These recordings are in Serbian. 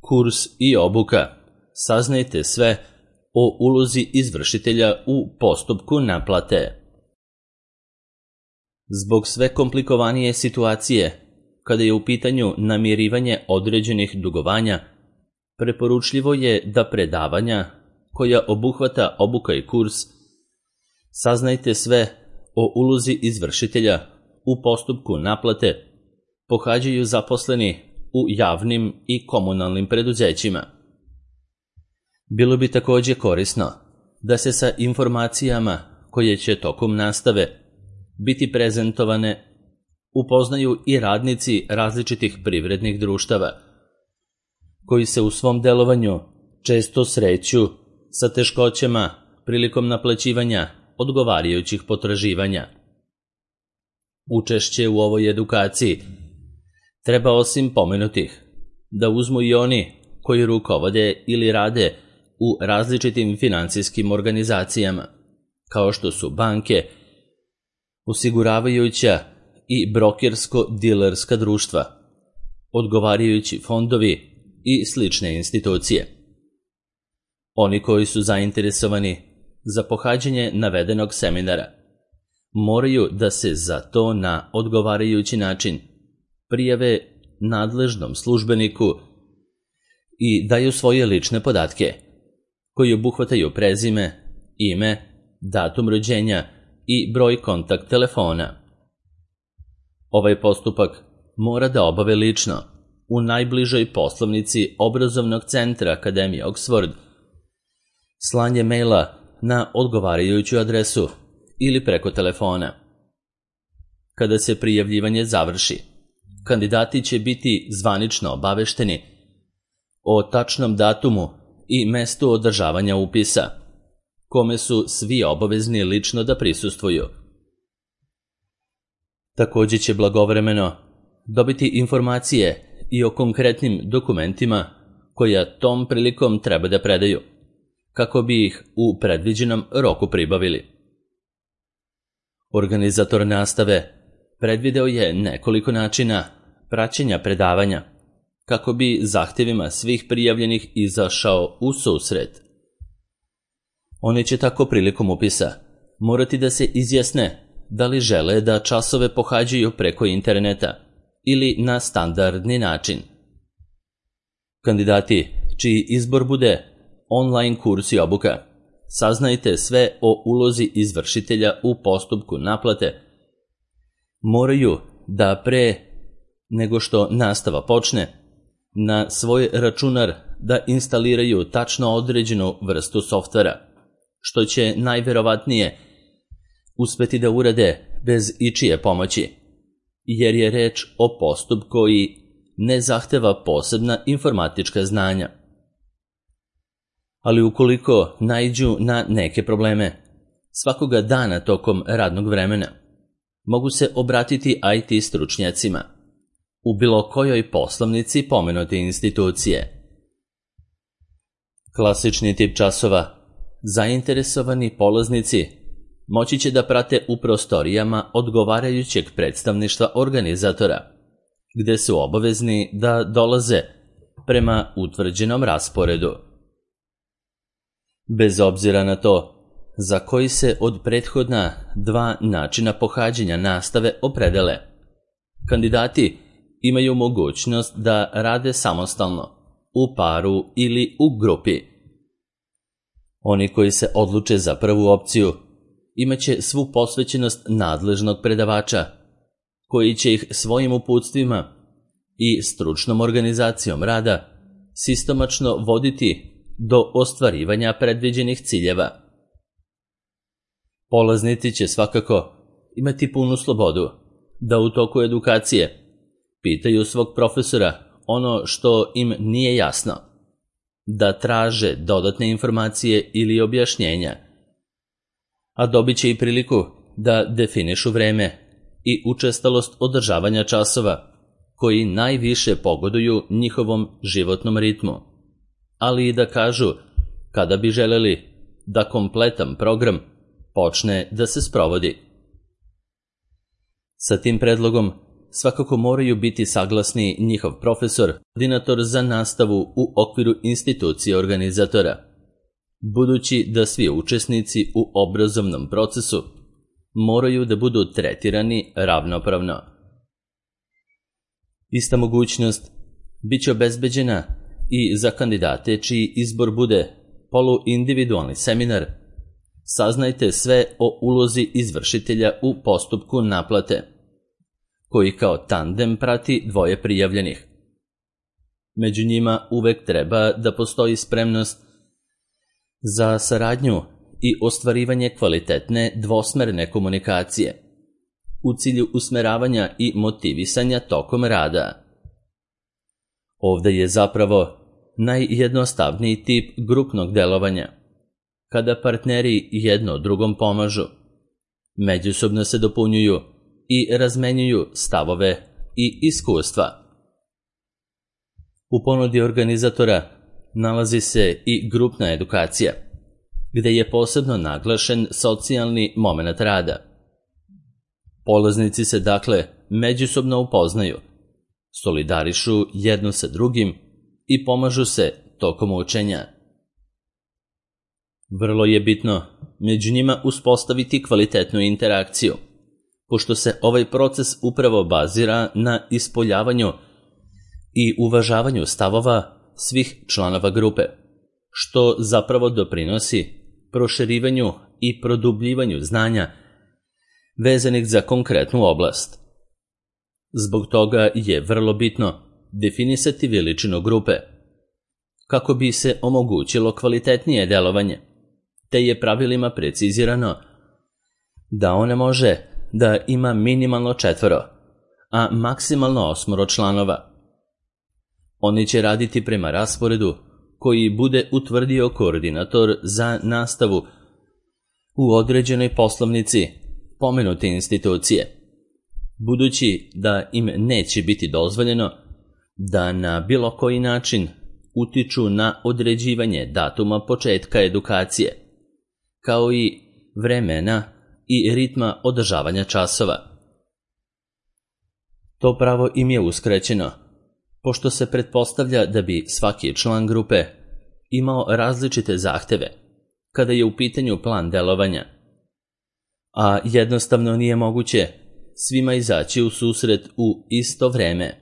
Kurs i obuka. Saznajte sve o ulozi izvršitelja u postupku naplate. Zbog sve komplikovanije situacije, kada je u pitanju namirivanje određenih dugovanja, preporučljivo je da predavanja koja obuhvata obuka i kurs Saznajte sve o ulozi izvršitelja u postupku naplate pohađaju zaposleni u javnim i komunalnim preduzećima. Bilo bi takođe korisno da se sa informacijama koje će tokom nastave biti prezentovane upoznaju i radnici različitih privrednih društava, koji se u svom delovanju često sreću sa teškoćama prilikom naplaćivanja odgovarajućih potraživanja. Učešće u ovoj edukaciji treba osim pomenutih da uzmu i oni koji rukovode ili rade u različitim finansijskim organizacijama, kao što su banke, osiguravajuća i brokersko-dilerska društva, odgovarajući fondovi i slične institucije. Oni koji su zainteresovani za pohađanje navedenog seminara moraju da se za to na odgovarajući način prijave nadležnom službeniku i daju svoje lične podatke, koji obuhvataju prezime, ime, datum rođenja i broj kontakt telefona. Ovaj postupak mora da obave lično u najbližoj poslovnici obrazovnog centra Akademije Oxford, slanje maila na odgovarajuću adresu ili preko telefona. Kada se prijavljivanje završi, kandidati će biti zvanično obavešteni o tačnom datumu i mestu održavanja upisa, kome su svi obavezni lično da prisustvuju. Takođe će blagovremeno dobiti informacije i o konkretnim dokumentima koja tom prilikom treba da predaju, kako bi ih u predviđenom roku pribavili. Organizator nastave predvideo je nekoliko načina praćenja predavanja, kako bi zahtevima svih prijavljenih izašao u susret. Oni će tako prilikom upisa morati da se izjasne da li žele da časove pohađaju preko interneta ili na standardni način. Kandidati čiji izbor bude online kurs i obuka, saznajte sve o ulozi izvršitelja u postupku naplate, moraju da pre nego što nastava počne, na svoj računar da instaliraju tačno određenu vrstu softvera, što će najverovatnije uspeti da urade bez ičije pomoći, jer je reč o postupku koji ne zahteva posebna informatička znanja. Ali ukoliko naiđu na neke probleme, svakoga dana tokom radnog vremena, mogu se obratiti IT stručnjacima u bilo kojoj poslovnici pomenute institucije. Klasični tip časova zainteresovani polaznici moći će da prate u prostorijama odgovarajućeg predstavništva organizatora, gde su obavezni da dolaze prema utvrđenom rasporedu. Bez obzira na to za koji se od prethodna dva načina pohađanja nastave opredele, kandidati imaju mogućnost da rade samostalno, u paru ili u grupi. Oni koji se odluče za prvu opciju imaće svu posvećenost nadležnog predavača, koji će ih svojim uputstvima i stručnom organizacijom rada sistemačno voditi do ostvarivanja predviđenih ciljeva. Polaznici će svakako imati punu slobodu da u toku edukacije pitaju svog profesora ono što im nije jasno, da traže dodatne informacije ili objašnjenja, a dobit će i priliku da definišu vreme i učestalost održavanja časova koji najviše pogoduju njihovom životnom ritmu, ali i da kažu kada bi želeli da kompletan program počne da se sprovodi. Sa tim predlogom svakako moraju biti saglasni njihov profesor, koordinator za nastavu u okviru institucije organizatora, budući da svi učesnici u obrazovnom procesu moraju da budu tretirani ravnopravno. Ista mogućnost biće obezbeđena i za kandidate čiji izbor bude poluindividualni seminar. Saznajte sve o ulozi izvršitelja u postupku naplate, koji kao tandem prati dvoje prijavljenih. Među njima uvek treba da postoji spremnost za saradnju i ostvarivanje kvalitetne dvosmerne komunikacije u cilju usmeravanja i motivisanja tokom rada. Ovde je zapravo najjednostavniji tip grupnog delovanja, kada partneri jedno drugom pomažu, međusobno se dopunjuju i razmenjuju stavove i iskustva. U ponudi organizatora nalazi se i grupna edukacija, gde je posebno naglašen socijalni moment rada. Polaznici se dakle međusobno upoznaju, solidarišu jedno sa drugim i pomažu se tokom učenja. Vrlo je bitno među njima uspostaviti kvalitetnu interakciju, pošto se ovaj proces upravo bazira na ispoljavanju i uvažavanju stavova svih članova grupe, što zapravo doprinosi proširivanju i produbljivanju znanja vezanih za konkretnu oblast. Zbog toga je vrlo bitno definisati veličinu grupe, kako bi se omogućilo kvalitetnije delovanje, te je pravilima precizirano da ona može da ima minimalno 4, a maksimalno 8 članova. Oni će raditi prema rasporedu koji bude utvrdio koordinator za nastavu u određenoj poslovnici pomenute institucije, budući da im neće biti dozvoljeno da na bilo koji način utiču na određivanje datuma početka edukacije, kao i vremena i ritma održavanja časova. To pravo im je uskraćeno, pošto se pretpostavlja da bi svaki član grupe imao različite zahteve kada je u pitanju plan delovanja, a jednostavno nije moguće svima izaći u susret u isto vreme,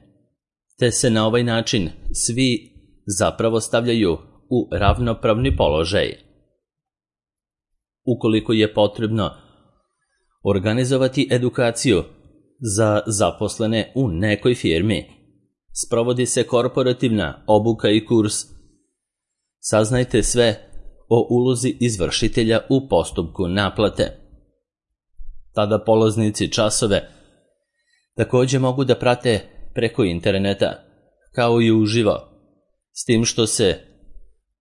te se na ovaj način svi zapravo stavljaju u ravnopravni položaj. Ukoliko je potrebno organizovati edukaciju za zaposlene u nekoj firmi, sprovodi se korporativna obuka i kurs. Saznajte sve o ulozi izvršitelja u postupku naplate. Tada polaznici časove takođe mogu da prate preko interneta, kao i uživo, s tim što se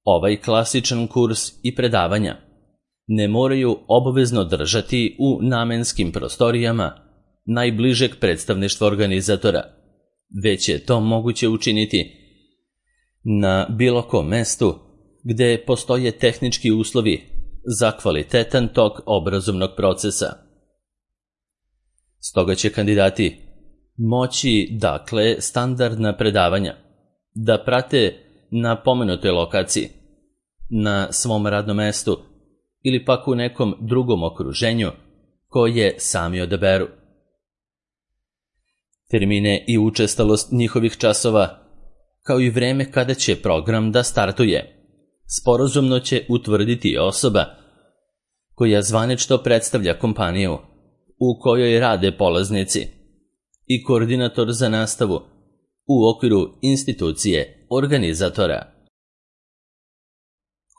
ovaj klasičan kurs i predavanja ne moraju obavezno držati u namenskim prostorijama najbližeg predstavništva organizatora, već je to moguće učiniti na bilo kom mestu gde postoje tehnički uslovi za kvalitetan tok obrazovnog procesa. Stoga će kandidati moći, dakle, standardna predavanja da prate na pomenutoj lokaciji, na svom radnom mestu ili pak u nekom drugom okruženju koje sami odaberu. Termine i učestalost njihovih časova, kao i vreme kada će program da startuje, sporazumno će utvrditi osoba koja zvanično predstavlja kompaniju u kojoj rade polaznici i koordinator za nastavu u okviru institucije organizatora.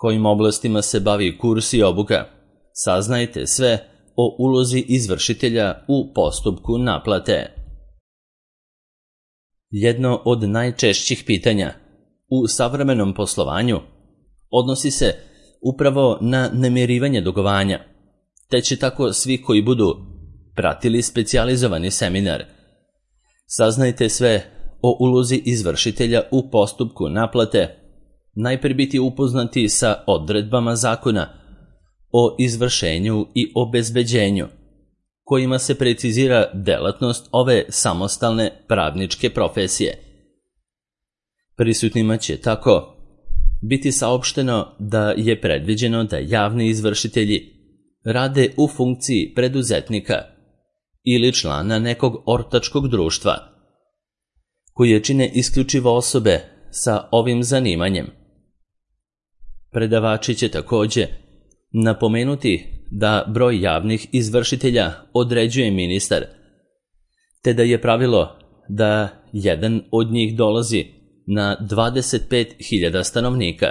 Kojim oblastima se bavi kurs i obuka, saznajte sve o ulozi izvršitelja u postupku naplate. Jedno od najčešćih pitanja u savremenom poslovanju odnosi se upravo na namirivanje dugovanja, te će tako svi koji budu pratili specijalizovani seminar. Saznajte sve o ulozi izvršitelja u postupku naplate, najprije biti upoznati sa odredbama zakona o izvršenju i obezbeđenju, kojima se precizira delatnost ove samostalne pravničke profesije. Prisutnima će tako biti saopšteno da je predviđeno da javni izvršitelji rade u funkciji preduzetnika ili člana nekog ortačkog društva, koje čine isključivo osobe sa ovim zanimanjem. Predavači će takođe napomenuti da broj javnih izvršitelja određuje ministar, te da je pravilo da jedan od njih dolazi na 25.000 stanovnika.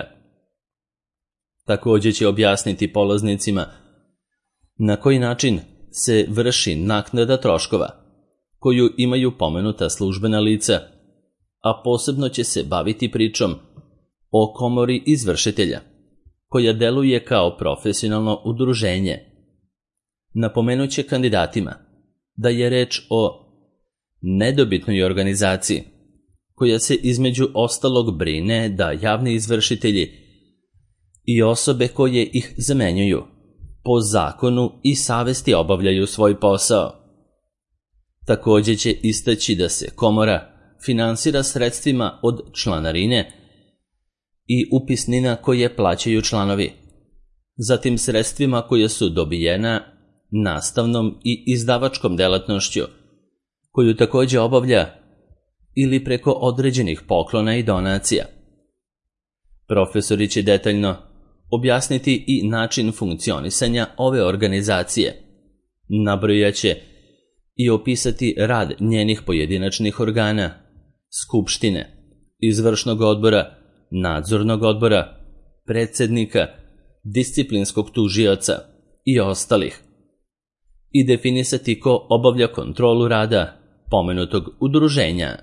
Takođe će objasniti polaznicima na koji način se vrši naknada troškova, koju imaju pomenuta službena lica, a posebno će se baviti pričom o komori izvršitelja, koja deluje kao profesionalno udruženje. Napomenuće kandidatima da je reč o nedobitnoj organizaciji, koja se između ostalog brine da javni izvršitelji i osobe koje ih zamenjuju po zakonu i savesti obavljaju svoj posao. Takođe će istaći da se komora finansira sredstvima od članarine i upisnina koje plaćaju članovi, zatim sredstvima koje su dobijena nastavnom i izdavačkom delatnošću, koju takođe obavlja ili preko određenih poklona i donacija. Profesori će detaljno objasniti i način funkcionisanja ove organizacije, nabrojaće i opisati rad njenih pojedinačnih organa, skupštine, izvršnog odbora, nadzornog odbora, predsednika, disciplinskog tužioca i ostalih, i definisati ko obavlja kontrolu rada pomenutog udruženja.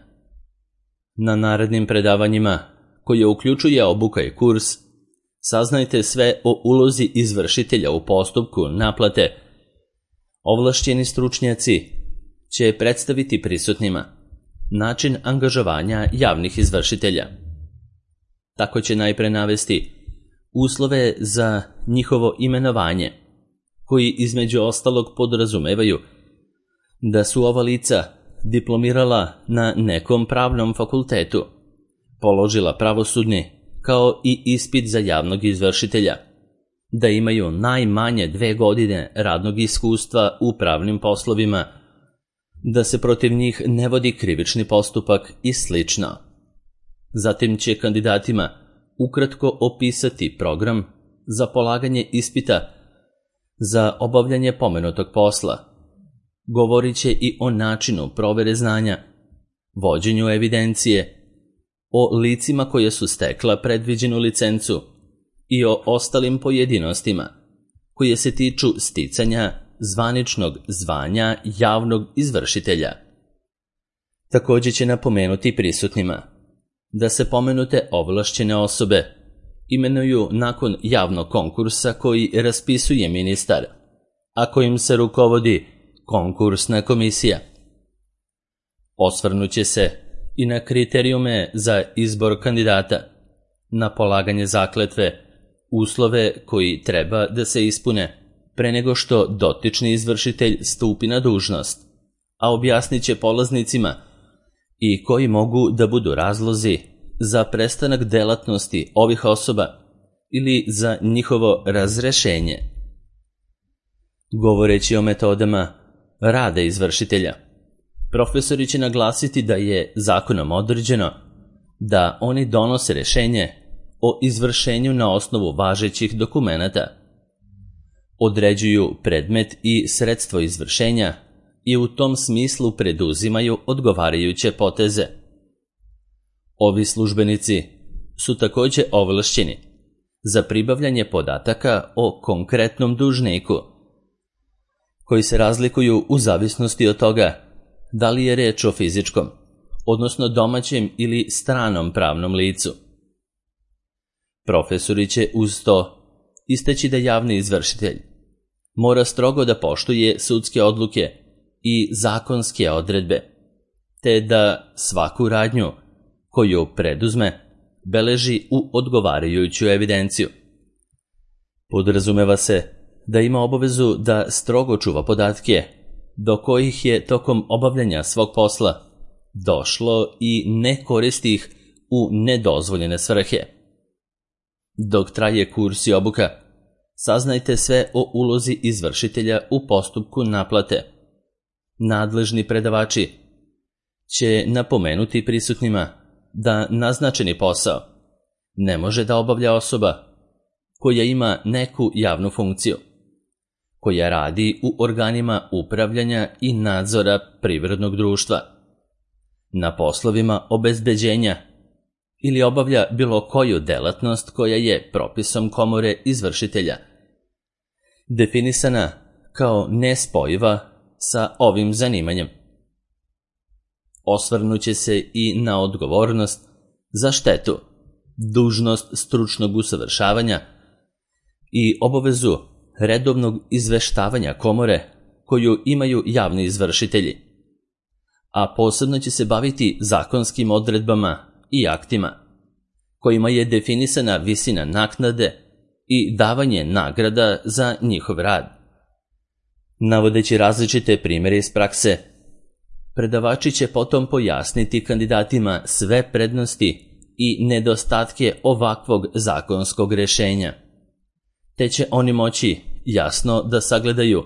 Na narednim predavanjima, koje uključuje obuka i kurs, saznajte sve o ulozi izvršitelja u postupku naplate. Ovlašćeni stručnjaci će predstaviti prisutnima način angažovanja javnih izvršitelja. Tako će najpre navesti uslove za njihovo imenovanje, koji između ostalog podrazumevaju da su ova lica diplomirala na nekom pravnom fakultetu, položila pravosudni kao i ispit za javnog izvršitelja, da imaju najmanje 2 godine radnog iskustva u pravnim poslovima, da se protiv njih ne vodi krivični postupak i slično. Zatim će kandidatima ukratko opisati program za polaganje ispita za obavljanje pomenutog posla. Govorit će i o načinu provere znanja, vođenju evidencije, o licima koje su stekla predviđenu licencu i o ostalim pojedinostima koje se tiču sticanja zvaničnog zvanja javnog izvršitelja. Takođe će napomenuti prisutnima da se pomenute ovlašćene osobe imenuju nakon javnog konkursa koji raspisuje ministar, a kojim se rukovodi konkursna komisija. Osvrnuće se i na kriterijume za izbor kandidata, na polaganje zakletve, uslove koji treba da se ispune pre nego što dotični izvršitelj stupi na dužnost, a objasnit će polaznicima i koji mogu da budu razlozi za prestanak delatnosti ovih osoba ili za njihovo razrešenje. Govoreći o metodama rada izvršitelja, profesori će naglasiti da je zakonom određeno da oni donose rešenje o izvršenju na osnovu važećih dokumenata, određuju predmet i sredstvo izvršenja i u tom smislu preduzimaju odgovarajuće poteze. Ovi službenici su takođe ovlašćeni za pribavljanje podataka o konkretnom dužniku, koji se razlikuju u zavisnosti od toga da li je reč o fizičkom, odnosno domaćem ili stranom pravnom licu. Profesori će uz to istaći da javni izvršitelj mora strogo da poštuje sudske odluke i zakonske odredbe, te da svaku radnju koju preduzme beleži u odgovarajuću evidenciju. Podrazumeva se da ima obavezu da strogo čuva podatke do kojih je tokom obavljanja svog posla došlo i ne koristi ih u nedozvoljene svrhe. Dok traje kurs i obuka, saznajte sve o ulozi izvršitelja u postupku naplate. Nadležni predavači će napomenuti prisutnima da naznačeni posao ne može da obavlja osoba koja ima neku javnu funkciju, koja radi u organima upravljanja i nadzora privrednog društva, na poslovima obezbeđenja ili obavlja bilo koju delatnost koja je propisom komore izvršitelja definisana kao nespojiva sa ovim zanimanjem. Osvrnuće se i na odgovornost za štetu, dužnost stručnog usavršavanja i obavezu redovnog izveštavanja komore koju imaju javni izvršitelji, a posebno će se baviti zakonskim odredbama i aktima kojima je definisana visina naknade i davanje nagrada za njihov rad. Navodeći različite primjere iz prakse, predavači će potom pojasniti kandidatima sve prednosti i nedostatke ovakvog zakonskog rješenja, te će oni moći jasno da sagledaju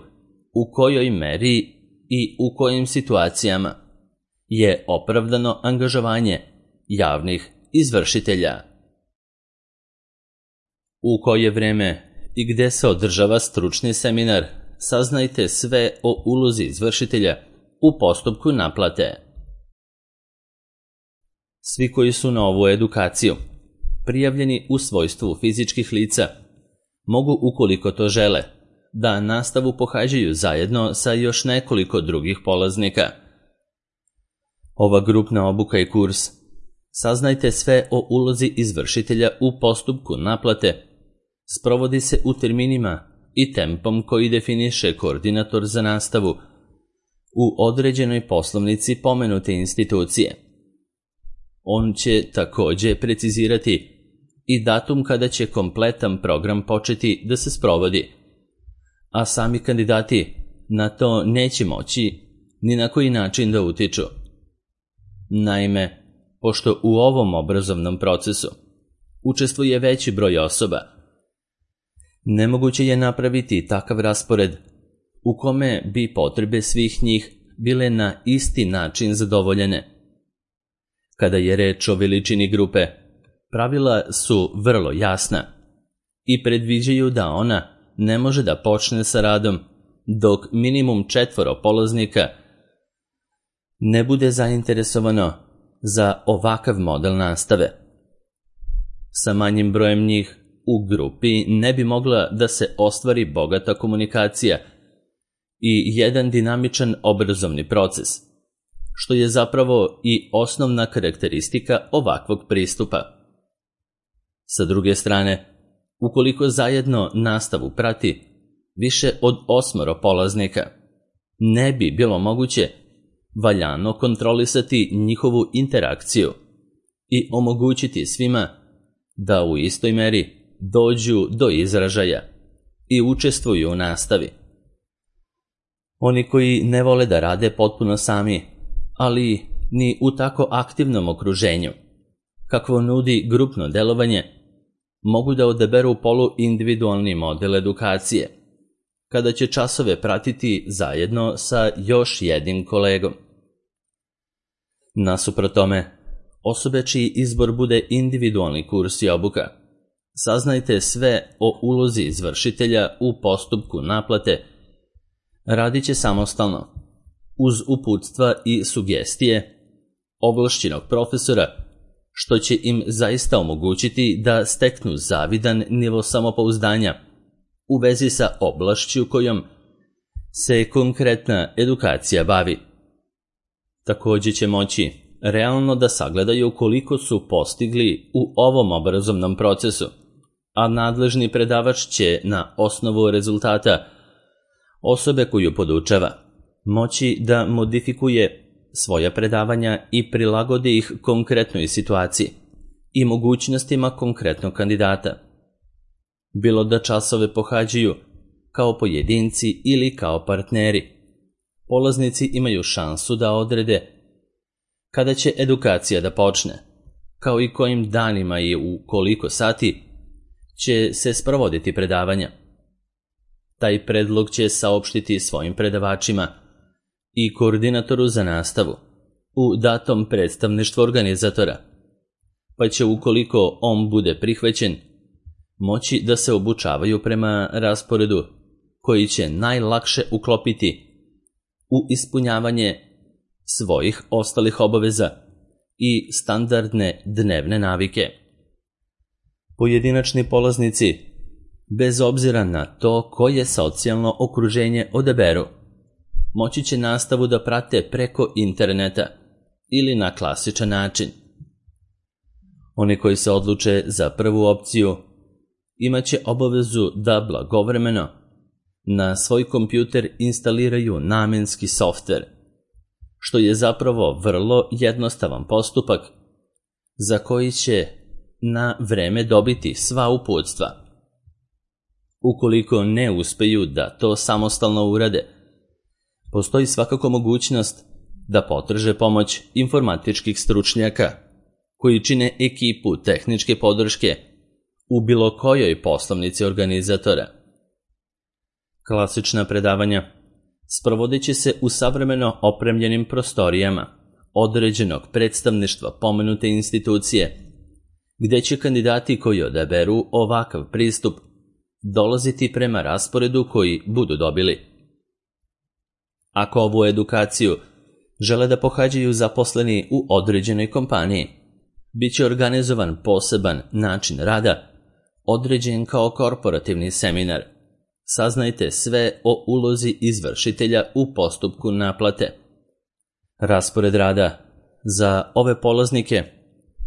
u kojoj meri i u kojim situacijama je opravdano angažovanje javnih izvršitelja. U koje vreme i gde se održava stručni seminar, saznajte sve o ulozi izvršitelja u postupku naplate. Svi koji su na ovu edukaciju prijavljeni u svojstvu fizičkih lica mogu, ukoliko to žele, da nastavu pohađaju zajedno sa još nekoliko drugih polaznika. Ova grupna obuka i kurs saznajte sve o ulozi izvršitelja u postupku naplate sprovodi se u terminima i tempom koji definiše koordinator za nastavu u određenoj poslovnici pomenute institucije. On će također precizirati i datum kada će kompletan program početi da se sprovodi, a sami kandidati na to neće moći ni na koji način da utiču. Naime, pošto u ovom obrazovnom procesu učestvuje veći broj osoba, nemoguće je napraviti takav raspored u kome bi potrebe svih njih bile na isti način zadovoljene. Kada je reč o veličini grupe, pravila su vrlo jasna i predviđaju da ona ne može da počne sa radom dok minimum 4 polaznika ne bude zainteresovano za ovakav model nastave. Sa manjim brojem njih u grupi ne bi mogla da se ostvari bogata komunikacija i jedan dinamičan obrazovni proces, što je zapravo i osnovna karakteristika ovakvog pristupa. Sa druge strane, ukoliko zajedno nastavu prati više od 8 polaznika, ne bi bilo moguće valjano kontrolisati njihovu interakciju i omogućiti svima da u istoj meri dođu do izražaja i učestvuju u nastavi. Oni koji ne vole da rade potpuno sami, ali ni u tako aktivnom okruženju, kakvo nudi grupno delovanje, mogu da odaberu poluindividualni model edukacije, kada će časove pratiti zajedno sa još jednim kolegom. Nasuprot tome, osobe čiji izbor bude individualni kurs i obuka, saznajte sve o ulozi izvršitelja u postupku naplate, radit će samostalno, uz uputstva i sugestije ovlašćenog profesora, što će im zaista omogućiti da steknu zavidan nivo samopouzdanja u vezi sa oblašću kojom se konkretna edukacija bavi. Također će moći realno da sagledaju koliko su postigli u ovom obrazovnom procesu, a nadležni predavač će na osnovu rezultata osobe koju podučava moći da modifikuje svoja predavanja i prilagodi ih konkretnoj situaciji i mogućnostima konkretnog kandidata, bilo da časove pohađaju kao pojedinci ili kao partneri, polaznici imaju šansu da odrede kada će edukacija da počne, kao i kojim danima i u koliko sati će se sprovoditi predavanja. Taj predlog će saopštiti svojim predavačima i koordinatoru za nastavu u datom predstavništvu organizatora, pa će, ukoliko on bude prihvaćen, moći da se obučavaju prema rasporedu koji će najlakše uklopiti u ispunjavanje svojih ostalih obaveza i standardne dnevne navike. Pojedinačni polaznici, bez obzira na to koje socijalno okruženje odaberu, moći će nastavu da prate preko interneta ili na klasičan način. Oni koji se odluče za prvu opciju imaće obavezu da blagovremeno na svoj kompjuter instaliraju namenski softver, što je zapravo vrlo jednostavan postupak za koji će na vreme dobiti sva uputstva. Ukoliko ne uspeju da to samostalno urade, postoji svakako mogućnost da potraže pomoć informatičkih stručnjaka koji čine ekipu tehničke podrške u bilo kojoj poslovnici organizatora. Klasična predavanja sprovodit će se u savremeno opremljenim prostorijama određenog predstavništva pomenute institucije, gde će kandidati koji odaberu ovakav pristup dolaziti prema rasporedu koji budu dobili. Ako ovu edukaciju žele da pohađaju zaposleni u određenoj kompaniji, bit će organizovan poseban način rada, određen kao korporativni seminar. Saznajte sve o ulozi izvršitelja u postupku naplate. Raspored rada za ove polaznike,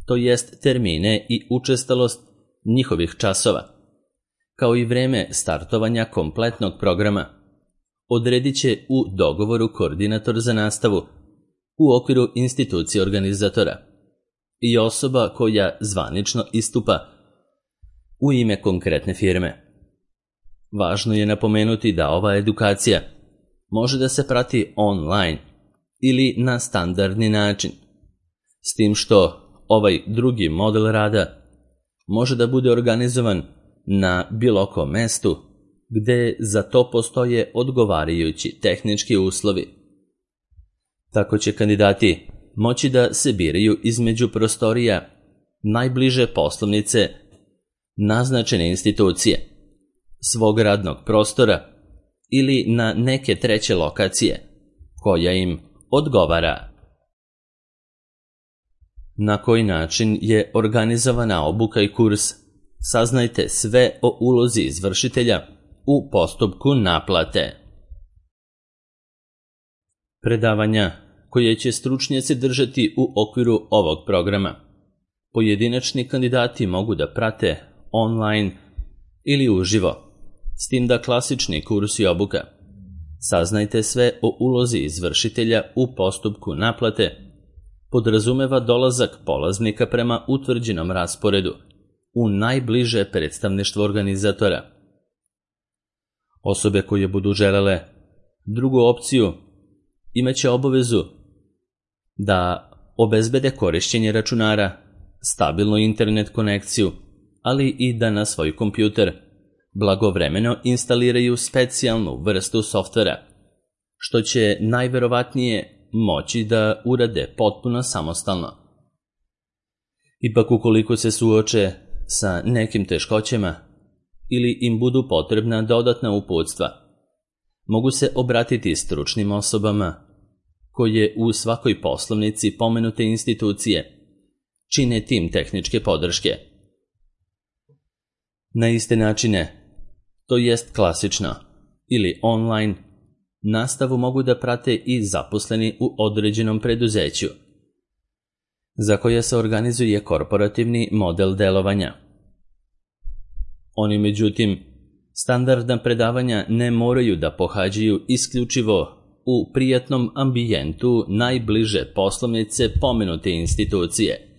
to jest termine i učestalost njihovih časova, kao i vreme startovanja kompletnog programa, odredit će u dogovoru koordinator za nastavu u okviru institucije organizatora i osoba koja zvanično istupa u ime konkretne firme. Važno je napomenuti da ova edukacija može da se prati online ili na standardni način, s tim što ovaj drugi model rada može da bude organizovan na bilo kom mestu gde za to postoje odgovarajući tehnički uslovi. Tako će kandidati moći da se biraju između prostorija najbliže poslovnice naznačene institucije, svog radnog prostora ili na neke treće lokacije koja im odgovara. Na koji način je organizovana obuka i kurs? Saznajte sve o ulozi izvršitelja u postupku naplate. Predavanja koje će stručnjaci držati u okviru ovog programa pojedinačni kandidati mogu da prate online ili uživo, s tim da klasični kurs i obuka Saznajte sve o ulozi izvršitelja u postupku naplate podrazumeva dolazak polaznika prema utvrđenom rasporedu u najbliže predstavništvo organizatora. Osobe koje budu želele drugu opciju imaće obavezu da obezbede korišćenje računara, stabilnu internet konekciju, ali i da na svoj kompjuter blagovremeno instaliraju specijalnu vrstu softvera, što će najverovatnije moći da urade potpuno samostalno. Ipak ukoliko se suoče sa nekim teškoćama ili im budu potrebna dodatna uputstva, mogu se obratiti stručnim osobama koje u svakoj poslovnici pomenute institucije čine tim tehničke podrške. Na iste načine, to jest klasično ili online, nastavu mogu da prate i zaposleni u određenom preduzeću, za koje se organizuje korporativni model delovanja. Oni, međutim, standardna predavanja ne moraju da pohađaju isključivo u prijatnom ambijentu najbliže poslovnice pomenute institucije,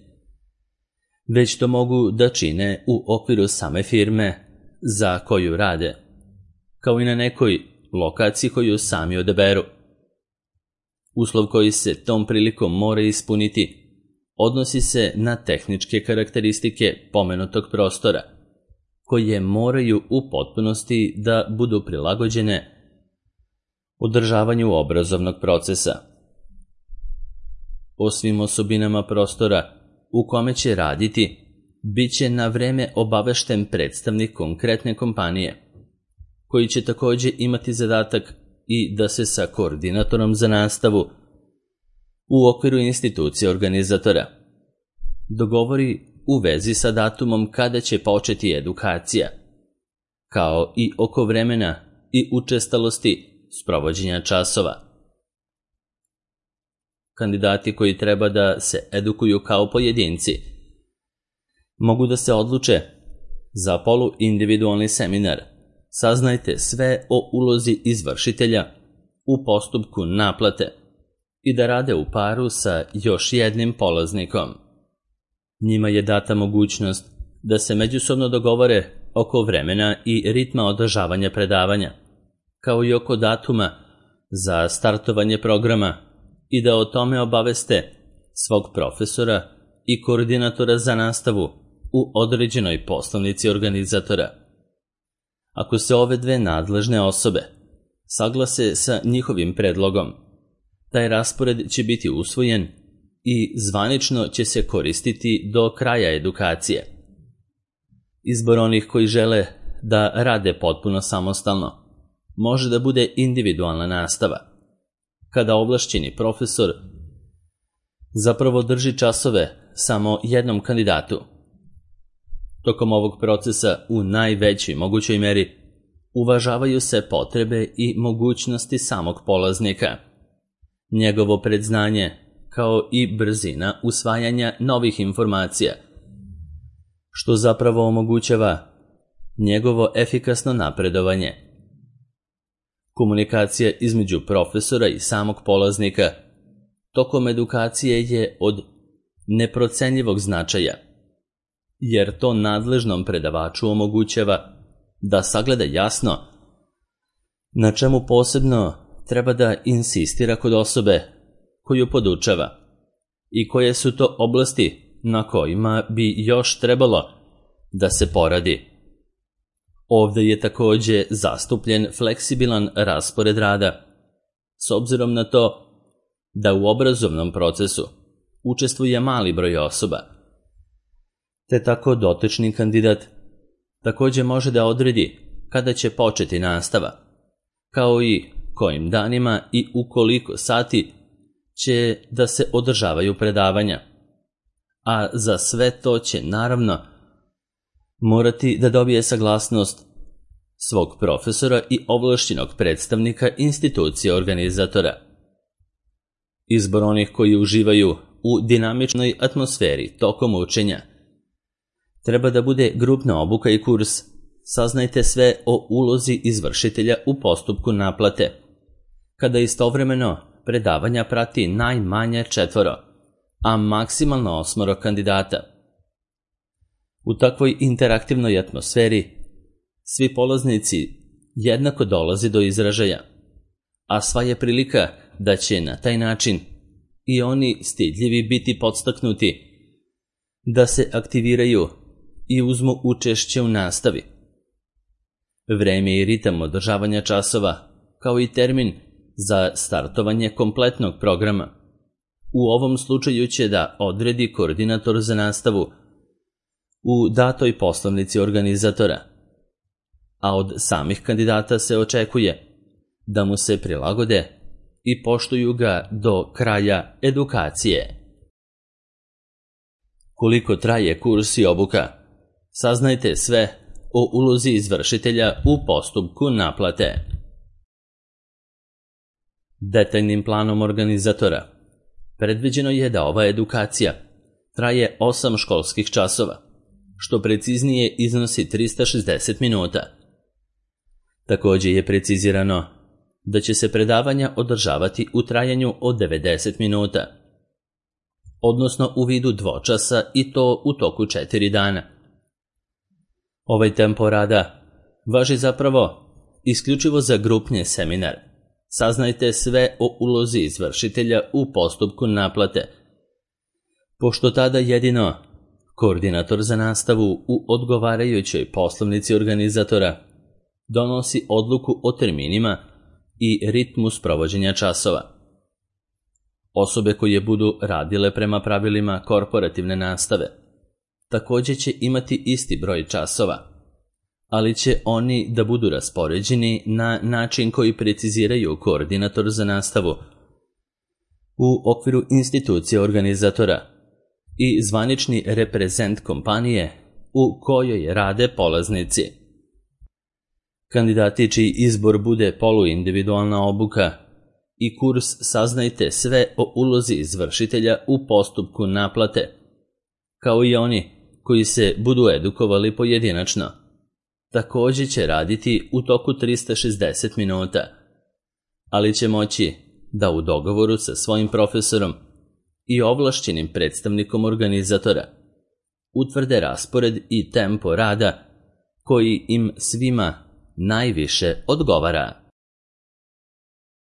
već to mogu da čine u okviru same firme za koju rade, kao i na nekoj lokaciji koju sami odaberu. Uslov koji se tom prilikom mora ispuniti odnosi se na tehničke karakteristike pomenutog prostora, koje moraju u potpunosti da budu prilagođene održavanju obrazovnog procesa. O svim osobinama prostora u kome će raditi bit će na vreme obavešten predstavnik konkretne kompanije, koji će također imati zadatak i da se sa koordinatorom za nastavu u okviru institucije organizatora dogovori u vezi sa datumom kada će početi edukacija, kao i oko vremena i učestalosti sprovođenja časova. Kandidati koji treba da se edukuju kao pojedinci mogu da se odluče za poluindividualni seminar. Saznajte sve o ulozi izvršitelja u postupku naplate i da rade u paru sa još jednim polaznikom. Njima je data mogućnost da se međusobno dogovore oko vremena i ritma održavanja predavanja, kao i oko datuma za startovanje programa i da o tome obaveste svog profesora i koordinatora za nastavu u određenoj poslovnici organizatora. Ako se ove dve nadležne osobe saglase sa njihovim predlogom, taj raspored će biti usvojen i zvanično će se koristiti do kraja edukacije. Izbor onih koji žele da rade potpuno samostalno može da bude individualna nastava, kada ovlašćeni profesor zapravo drži časove samo jednom kandidatu. Tokom ovog procesa u najvećoj mogućoj meri uvažavaju se potrebe i mogućnosti samog polaznika, njegovo predznanje, kao i brzina usvajanja novih informacija, što zapravo omogućava njegovo efikasno napredovanje. Komunikacija između profesora i samog polaznika tokom edukacije je od neprocenjivog značaja, jer to nadležnom predavaču omogućava da sagleda jasno na čemu posebno treba da insistira kod osobe koju podučava i koje su to oblasti na kojima bi još trebalo da se poradi. Ovde je također zastupljen fleksibilan raspored rada, s obzirom na to da u obrazovnom procesu učestvuje mali broj osoba, te tako dotični kandidat također može da odredi kada će početi nastava, kao i kojim danima i u koliko sati će da se održavaju predavanja, a za sve to će naravno morati da dobije saglasnost svog profesora i ovlašćenog predstavnika institucije organizatora. Izbor onih koji uživaju u dinamičnoj atmosferi tokom učenja treba da bude grupna obuka i kurs. Saznajte sve o ulozi izvršitelja u postupku naplate, kada istovremeno predavanja prati najmanje 4, a maksimalno 8 kandidata. U takvoj interaktivnoj atmosferi svi polaznici jednako dolaze do izražaja, a sva je prilika da će na taj način i oni stidljivi biti podstaknuti da se aktiviraju i uzmu učešće u nastavi. Vreme i ritam održavanja časova, kao i termin za startovanje kompletnog programa, u ovom slučaju će da odredi koordinator za nastavu u datoj poslovnici organizatora, a od samih kandidata se očekuje da mu se prilagode i poštuju ga do kraja edukacije. Koliko traje kurs i obuka? Saznajte sve o ulozi izvršitelja u postupku naplate. Detaljnim planom organizatora predviđeno je da ova edukacija traje 8 školskih časova, što preciznije iznosi 360 minuta. Također je precizirano da će se predavanja održavati u trajanju od 90 minuta, odnosno u vidu dvočasa i to u toku 4 dana. Ovaj tempo rada važi zapravo isključivo za grupni seminar, saznajte sve o ulozi izvršitelja u postupku naplate, pošto tada jedino koordinator za nastavu u odgovarajućoj poslovnici organizatora donosi odluku o terminima i ritmu sprovođenja časova. Osobe koje budu radile prema pravilima korporativne nastave također će imati isti broj časova, ali će oni da budu raspoređeni na način koji preciziraju koordinator za nastavu u okviru institucije organizatora i zvanični reprezent kompanije u kojoj rade polaznici. Kandidati čiji izbor bude poluindividualna obuka i kurs saznajte sve o ulozi izvršitelja u postupku naplate, kao i oni koji se budu edukovali pojedinačno. Također će raditi u toku 360 minuta, ali će moći da u dogovoru sa svojim profesorom i ovlašćenim predstavnikom organizatora utvrde raspored i tempo rada koji im svima najviše odgovara.